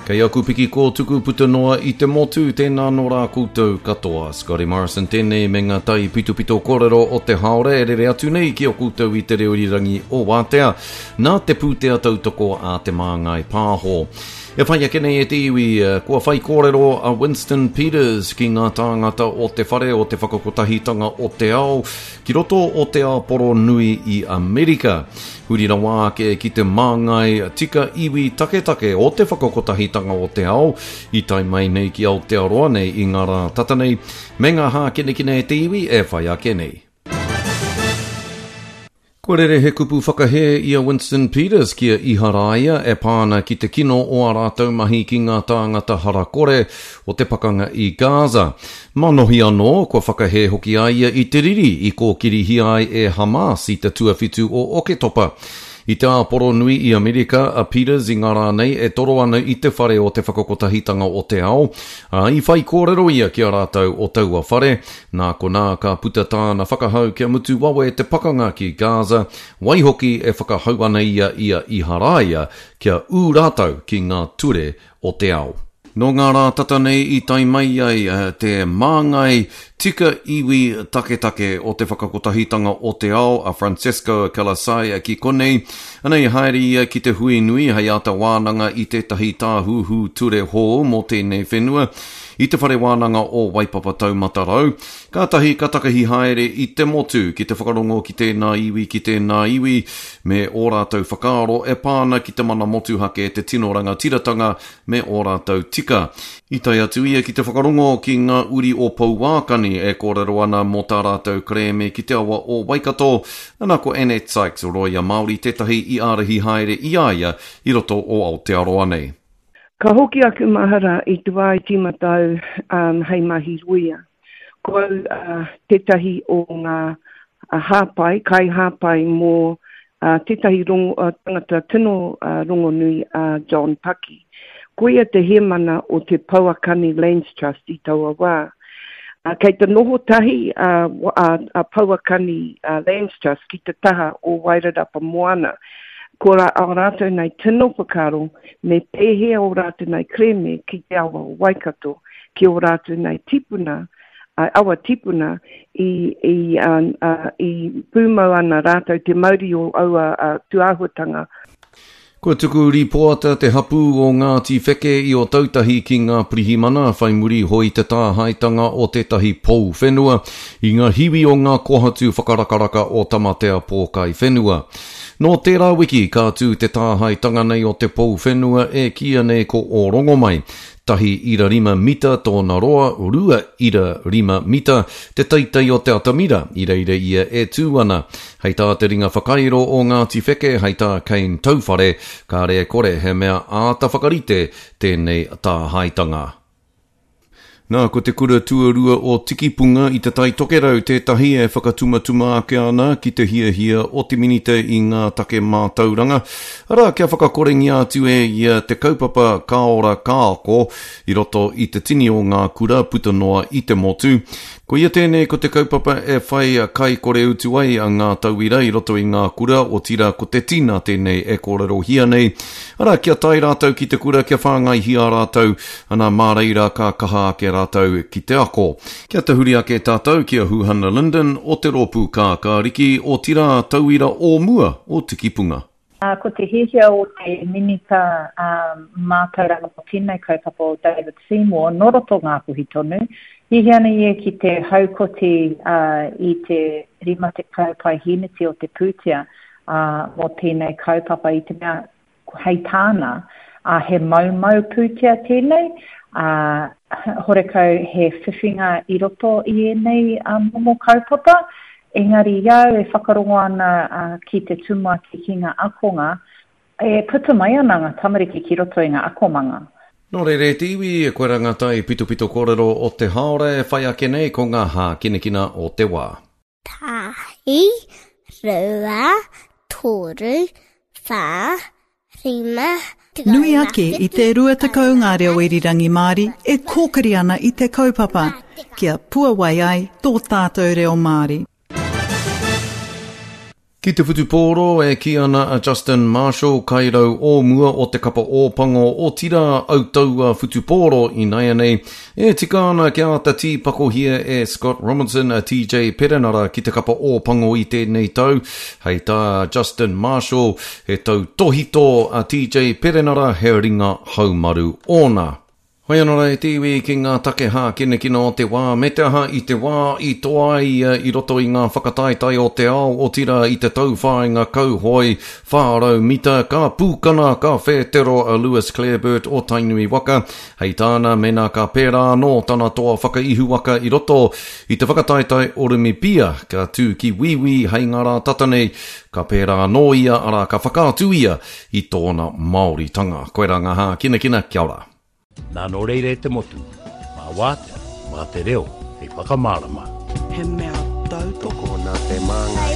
Kei aku piki kōtuku puta noa i te motu, tēnā nō rā koutou katoa. Scotty Morrison tēnei me ngā tai pitopito kōrero o te haore e rere atu nei ki a koutou i te reo irirangi o Wātea, nā te pūtea tautoko a Te Māngai Pāho. E whai ake nei e te iwi, kua whai kōrero a Winston Peters ki ngā tāngata o te whare o te whakakotahitanga o te ao ki roto o Te Āporo Nui i Amerika. Huri rawa ake ki te māngai tika iwi taketake o te whakakotahitanga o te ao i tae mai nei ki Aotearoa nei i ngā rā tata nei, me ngā hākinakina e te iwi e whai ake nei. Kua rere he kupu whakahē i a Winston Peters ki a Iharaia e pā ana ki te kino o ā rātou mahi ki ngā tāngata hara kore o te pakanga i Gaza. Manohi anō, kua whakahē hoki a ia i te riri i kōkirihia ai e Hamas i te tuawhitu o Oketopa. I te āporo nui i Amerika a Peters i ngā rā nei e toro ana i te whare o te Whakakotahitanga o te Ao, ā, i whaikōrero ia ki a rātou o taua whare, Nā konā ka puta tāna whakahau kia mutu wawe te pakanga ki Gaza, waihoki e whakahau ana ia i a Iharaia kia ū rātou ki ngā ture o te ao. Nō ngā rā tata nei i tae mai ai te māngai tika iwi taketake o te Whakakotahitanga o te Ao a Francesco Calisaya ki konei, anei haere ia ki te hui nui hei āta wānanga i tētahi tāhuhu ture hou mō tēnei whenua. I te Whare Wānanga o Waipapa Taumata Rau, kātahi ka takahi haere i te motu ki te whakarongo ki tēnā iwi, ki tēnā iwi, me ō rātou whakaaro e pā ana ki te mana motuhake, te tino rangatiratanga me ō rātou tika. I tae atu ia ki te whakarongo ki ngā uri o Pouākani e kōrero ana mō tā rātou kerēme ki te awa o Waikato, ana ko Annette Sykes, rōia Māori tētahi i ārahi haere i a ia i roto o Aotearoa nei. Ka hoki aku mahara i te wā i tīmata au hei mahi rōia. Ko au tētahi o ngā hāpai, kaihāpai mō tētahi tangata tino rongonui a John Paki. Ko ia te hēmana o te Pouakani Lands Trust i taua wā. Kei te noho tahi a Pouakani Lands Trust ki te taha o Wairarapa Moana. Ko ā rātou nei tino whakaaro me pēhea ō rātou nei kerēme ki te awa o Waikato, ki ō rātou nei tipuna, awa tipuna, i, i, i pūmau ana rātou te mauri o aua tūāhuatanga. Kua tuku rīpoata te hapū o Ngāti Wheke i Ōtautahi ki ngā pirihimana whai muri hoi te tāhaetanga o tētahi pou whenua i ngā hiwi o ngā kohatu whakarakaraka o Tamatea Pōkai Whenua. Nō tērā wiki ka tū te tāhaetanga nei o te pou whenua e kīia nei ko Ōrongomai. 1.5 mita tōna roa, 2.5 mita te teitei o te atamira i reira ia e tū ana. Hei tā te ringa whakairo o Ngāti Wheke, hei tā Kane Tauwhare, kāre e kore he mea āta whakarite tēnei tāhaetanga. Nā, ko te kura tuarua o Tikipunga i Te Tai Tokerau tētahi e whakatumatuma ake ana ki te hiahia o te Minita i ngā take mātauranga, arā, kia whakakorengia atu e ia te kaupapa Ka Ora Ka Ako i roto i te tini o ngā kura puta noa i te motu. Koia tēnei ko te kaupapa e whai kai kore utu ai a ngā tauira i roto i ngā kura, otirā ko te tina tēnei e kōrerohia nei. Arā, kia tae rātou ki te kura kia whāngaihia rātou, ana mā reira ka kaha ake rātou ki te ako. Kia tahuri ake tātou ki a Huhana Lyndon o te Rōpū Kākāriki, otirā tauira o mua o Tikipunga. Ā, ko te hiahia o te Minita Mātauranga mō tēnei kaupapa o David Seymour, nō roto Ngāpuhi tonu, hiahia ana ia ki te haukoti i te 50 paihēneti o te pūtea mō tēnei kaupapa i te mea hei tāna, ā, he moumou pūtea tēnei, ā, horekau he whiwhinga i roto i ēnei momo kaupapa, Engari i a au e whakarongo ana ki te tumuaki ki ngā akonga, e puta mai ana ngā tamariki ki roto i ngā akomanga. Nō reira e te iwi, koirā ngā tai pitopito kōrero o te hāora e whai ake nei ko ngā hākinakina o te wā. Tahi, rua, toru, whā, Nui ake i te 20 ngā reo irirangi Māori e kōkiri ana i te kaupapa kia puawai ai tō tātou reo Māori. Ki te whutupōro, e kī ana a Justin Marshall, kairau o mua o te kapa Ōpango, otirā autaua whutupōro inaianei, e tika ana kia āta tīpakohia e Scott Robertson a TJ Perenara ki te kapa Ōpango i tēnei tau. Hei tā Justin Marshall, he tautōhito a TJ Perenara, he ringa haumaru ōna. Hoi anō rā e te iwi ki ngā take hākinakina o te wā, me te aha i te wā i toa ai ia i roto i ngā whakataetae o te ao, otirā i te tauwhāinga kauhoe 400 mita, ka pūkana, ka whētero a Lewis Clareburt o Tainui waka. Hei tāna, mēnā ka pērā anō tana toa whakaihuwaka i roto i te whakataetae Orimipia, ka tū ki Wīwī hei ngā rā tata nei, ka pērā anō ia, arā, ka whakaatu ia i tōna Māoritanga. Koirā ngā hākinakina, kia ora. Nā nō reira e te motu, mā wātea, mā te reo hei whakamārama. He mea tautoko. Tokona te māngai.